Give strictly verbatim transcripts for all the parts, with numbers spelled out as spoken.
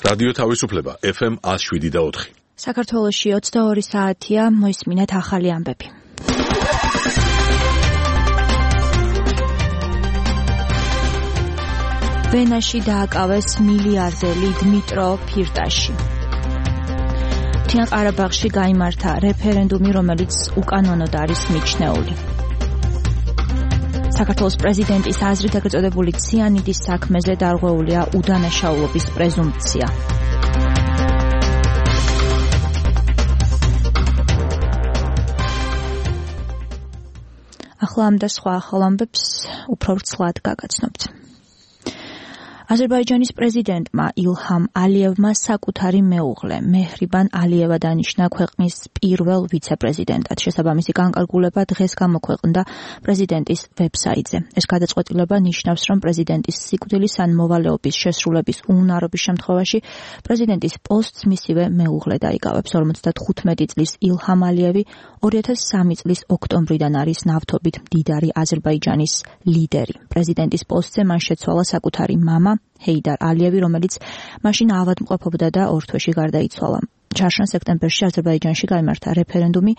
რადიო თავისუფლება ეფ ემ one oh seven და four. საქართველოში ოცდაორი საათია, მოისმინეთ ახალი ამბები. ვენაში დააკავეს მილიარდელი დმიტრო ფირტაში. მთიან ყარაბაღში გაიმართა რეფერენდუმი, რომელიც უკანონოდ არის მიჩნეული. საქართველოს პრეზიდენტის აზრით ეგრეთ წოდებული ციანიდის საქმეზე დარღვეულია უდანაშაულობის პრეზუმპცია. ახლა ამ და სხვა ახალ ამბებს უფრო ვრცლად გაგაცნობთ. აზერბაიჯანის პრეზიდენტმა ილჰამ ალიევმა საკუთარი მეუღლე მეჰრიბან ალიევა დანიშნა ქვეყნის პირველ ვიცე-პრეზიდენტად. შესაბამისი განკარგულება დღეს გამოქვეყნდა პრეზიდენტის ვებსაიტზე. ეს გადაწყვეტილება ნიშნავს, რომ პრეზიდენტის სიკვდილის ან მოვალეობის შესრულების უნარობის შემთხვევაში პრეზიდენტის პოსტს მისივე მეუღლე დაიკავებს. ორმოცდათხუთმეტი წლის ილჰამ ალიევი ორი ათას სამი წლის ოქტომბრიდან არის ნავთობით მდიდარი აზერბაიჯანის ლიდერი. პრეზიდენტის პოსტზე მან შეცვალა საკუთარი მამა ჰეიდარ ალიევი, რომელიც მაშინ ავადმყოფობდა და ორ თვეში გარდაიცვალა. ჩარშან სექტემბერში აზერბაიჯანში გაიმართა რეფერენდუმი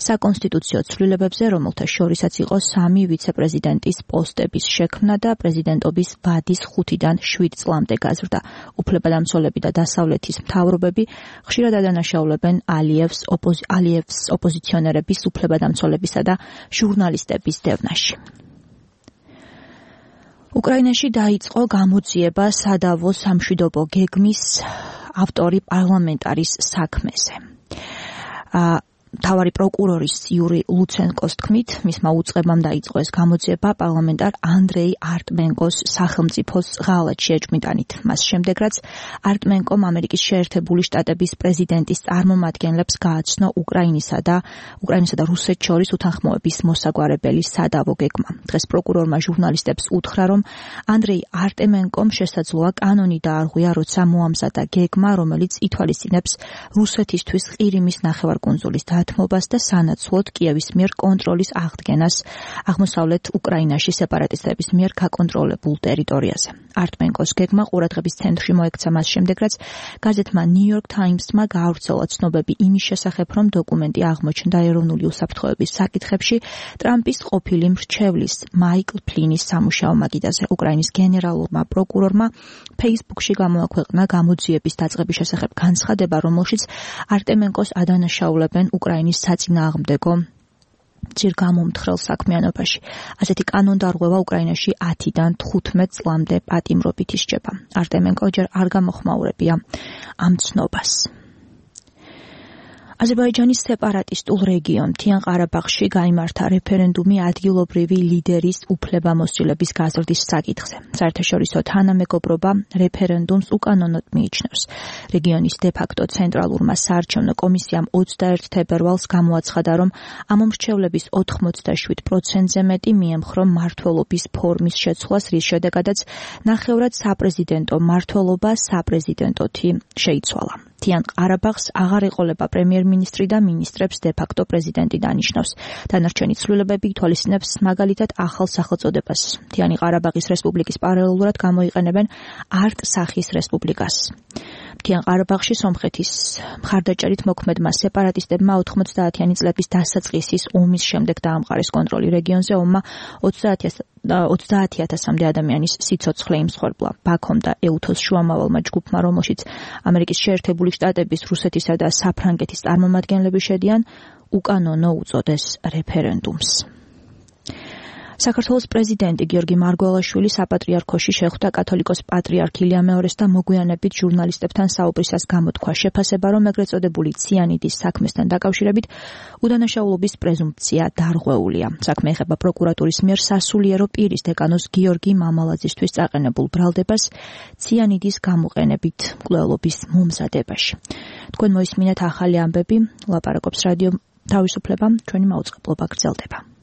საკონსტიტუციო ცვლილებებზე, რომელთა შორისაც იყო სამი ვიცე-პრეზიდენტის პოსტების შექმნა და პრეზიდენტობის ვადის ხუთიდან შვიდ წლამდე გაზრდა. უფლებადამცველები და დასავლეთის მთავრობები ხშირად ადანაშაულებენ ალიევს ოპოზ- ალიევს ოპოზიციონერების, უფლებადამცველებისა და ჟურნალისტების დევნაში. უკრაინაში დაიწყო გამოძიება სადავო სამშვიდობო გეგმის ავტორი პარლამენტარის საქმეზე. მთავარი პროკურორის იური ლუცენკოს თქმით, მისმა უწყებამ დაიწყო ეს გამოძიება პარლამენტარ ანდრეი არტმენკოს სახელმწიფოს ღალატში ეჭვმიტანით. მას შემდეგ, რაც არტმენკომ ამერიკის შეერთებული შტატების პრეზიდენტის წარმომადგენლებს გააცნო უკრაინისა და უკრაინისა და რუსეთს შორის უთანხმოების მოსაგვარებელი სადავო გეგმა. დღეს პროკურორმა ჟურნალისტებს უთხრა, რომ ანდრეი არტმენკომ შესაძლოა კანონი დაარღვია, როცა მოამზადა გეგმა, რომელიც ითვალისწინებს რუსეთისთვის ყირიმის ნახევარკუნძულის დათმობას და სანაცვლოდ კიევის მიერ კონტროლის აღდგენას აღმოსავლეთ უკრაინაში სეპარატისტების მიერ გაკონტროლებულ ტერიტორიაზე. არტმენკოს გეგმა ყურადღების ცენტრში მოექცა მას შემდეგ, რაც გაზეთმა New York Times-მა გაავრცელა ცნობები იმის შესახებ, რომ დოკუმენტი აღმოჩნდა ეროვნული უსაფრთხოების საკითხებში ტრამპის ყოფილი მრჩევლის მაიკლ ფლინის სამუშაო მაგიდაზე. უკრაინის გენერალურმა პროკურორმა Facebook-ში გამოაქვეყნა გამოძიების დაწყების შესახებ განცხადება, რომელშიც არტმენკოს ადანაშაულებენ უკრაინის საწინააღმდეგო ძირგამომთხრელ საქმიანობაში. ასეთი კანონდარღვევა უკრაინაში ათიდან თხუთმეტ წლამდე პატიმრობით ისჯება. არტმენკო ჯერ არ გამოხმაურებია ამ ცნობას. აზერბაიჯანის სეპარატისტულ რეგიონ მთიან ყარაბაღში გაიმართა რეფერენდუმი ადგილობრივი ლიდერის უფლებამოსილების გაზრდის საკითხზე. საერთაშორისო თანამეგობრობა რეფერენდუმს უკანონოდ მიიჩნევს. რეგიონის დე-ფაქტო ცენტრალურმა საარჩევნო კომისიამ ოცდაერთი თებერვალს გამოაცხადა, რომ ამ მომრჩევლების ოთხმოცდაშვიდ პროცენტზე მეტი მიემხრო მმართველობის ფორმის შეცვლას, რის შედეგადაც ნახევრად საპრეზიდენტო მმართველობა საპრეზიდენტოთი შეიცვალა. მთიან ყარაბაღს აღარ ეყოლება პრემიერ-მინისტრი და მინისტრებს დე-ფაქტო პრეზიდენტი დანიშნავს. დანარჩენი ცვლილებები ითვალისწინებს მაგალითად ახალ სახელწოდებას. მთიანი ყარაბაღის რესპუბლიკის პარალელურად გამოიყენებენ არტ-სახის რესპუბლიკას. მთიან ყარაბაღში სომხეთის მხარდაჭერით მოქმედმა სეპარატისტებმა ოთხმოცდაათიანი წლების დასაწყისის ომის შემდეგ დაამყარეს კონტროლი რეგიონზე. ომმა ოცდაათი ათასამდე ადამიანის სიცოცხლე იმსხვერპლა. ბაქომ და ეუთოს შუამავალმა ჯგუფმა, რომელშიც ამერიკის შეერთებული შტატების, რუსეთისა და საფრანგეთის წარმომადგენლები შედიან, უკანონო უწოდეს რეფერენდუმს. საქართველოს პრეზიდენტი გიორგი მარგველაშვილი საპატრიარქოში შეხვდა კათოლიკოს პატრიარქ ილია მეორეს და მოგვიანებით ჟურნალისტებთან საუბრისას გამოთქვა შეფასება, რომ ეგრეთ წოდებული ციანიდის საქმესთან დაკავშირებით უდანაშაულობის პრეზუმპცია დარღვეულია. საქმე ეხება პროკურატურის მიერ სასულიერო პირის დეკანოს გიორგი მამალაძისთვის წაყენებულ ბრალდებას ციანიდის გამოყენებით მკვლელობის მომზადებაში. თქვენ მოისმინეთ ახალი ამბები, ლაპარაკობს რადიო თავისუფლება, ჩვენი მაუწყებლობა გრძელდება.